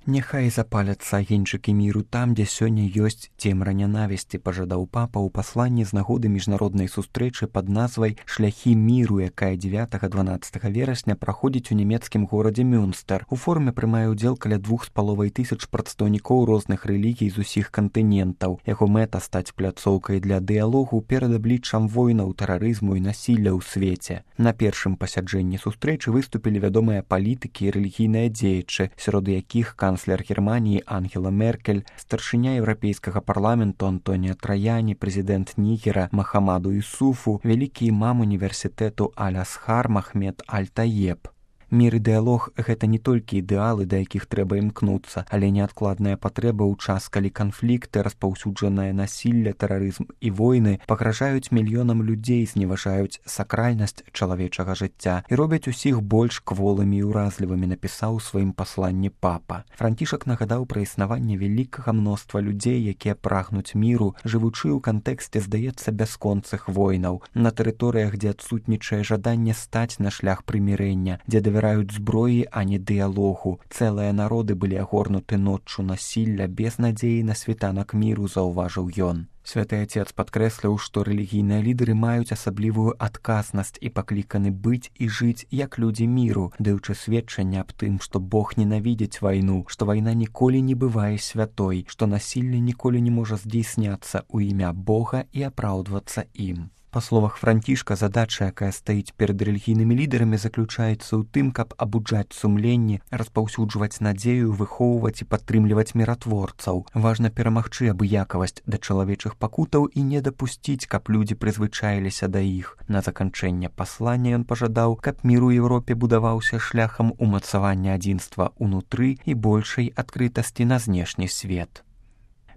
Няхай запаляцца агеньчыкі міру там, дзе сёння ёсць цемра нянавісці, пажадаў папа ў пасланні з нагоды міжнароднай сустрэчы пад назвай «Шляхі міру», якая 9-12 верасня праходзіць у нямецкім горадзе Мюнстер. У форуме прымае ўдзел каля 2500 прадстаўнікоў розных рэлігій з усіх кантынентаў. Яго мэта стаць пляцоўкай для дыялогу перад абліччам войнаў, тэрарызму і насілля ў свеце. На першым пасяджэнні сустрэчы выступілі вядомыя палітыкі і рэлігійныя дзеячы, сярод якіх канцлер Германии Ангела Меркель, старшыня Еўрапейскага парламенту Антонио Траяни, прэзідэнт Нігера Махамаду Ісуфу, вялікі імам універсітэту Аль-Асхар Махмед Аль-Таеб. Мір і дыялог – гэта не толькі ідэалы, да якіх трэба імкнуцца, але неадкладная патрэба ў час, калі канфлікты, распаўсюджанае насілля, тэрарызм і войны пагражаюць мільёнам людзей, зневажаюць сакральнасць чалавечага жыцця і робяць усіх больш кволымі і ўразлівымі, напісаў у сваім пасланні папа. Францішак нагадаў пра існаванне вялікага мноства людзей, якія прагнуць міру, жывучы ў кантэксце, здаецца, бясконцых войнаў, на тэрыторыях, дзе адсутнічае жаданне стаць на шлях прымірэння, дзе давяраюць зброі, а не дыялогу. Цэлыя народы былі агорнуты ноччу насілля без надзеі на світанак міру, заўважыў ён. Святы Отец падкрэсліў, што рэлігійныя лідары маюць асаблівую адказнасць і пакліканы быць і жыць як людзі міру, даючы сведчанне аб тым, што Бог ненавідзіць вайну, што вайна ніколі не бывае святой, што насілле ніколі не можа здзейсняцца ў імя Бога і апраўдвацца ім. Па словах Францішка, задача, якая стаіць перад рэлігійнымі лідарамі, заключаецца ў тым, каб абуджаць сумленні, распаўсюджваць надзею, выхоўваць і падтрымліваць міратворцаў. Важна перамагчы абыякавасць да чалавечых пакутаў і не дапусціць, каб людзі прызвычаіліся да іх. На заканчэнне паслання ён пажадаў, каб мір у Еўропе будаваўся шляхам умацавання адзінства ўнутры і большай адкрытасці на знешні свет.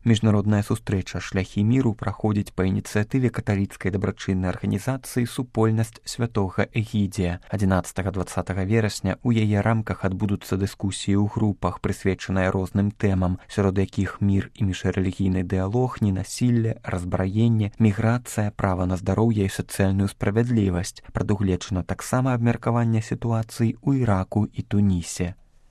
Міжнародная сустрэча «Шляхі міру» праходзіць па ініцыятыве каталіцкай дабрачыннай арганізацыі «Супольнасць святога Эгідзія». 11-20 верасня ў яе рамках адбудуцца дыскусіі ў групах, прысвечаныя розным тэмам, сярод якіх мір і міжрэлігійны дыялог, ненасілле, разбраенне, міграцыя, права на здароўе і сацыяльную справядлівасць. Прадугледжана таксама абмеркаванне сітуацый у Іраку і Тунісе.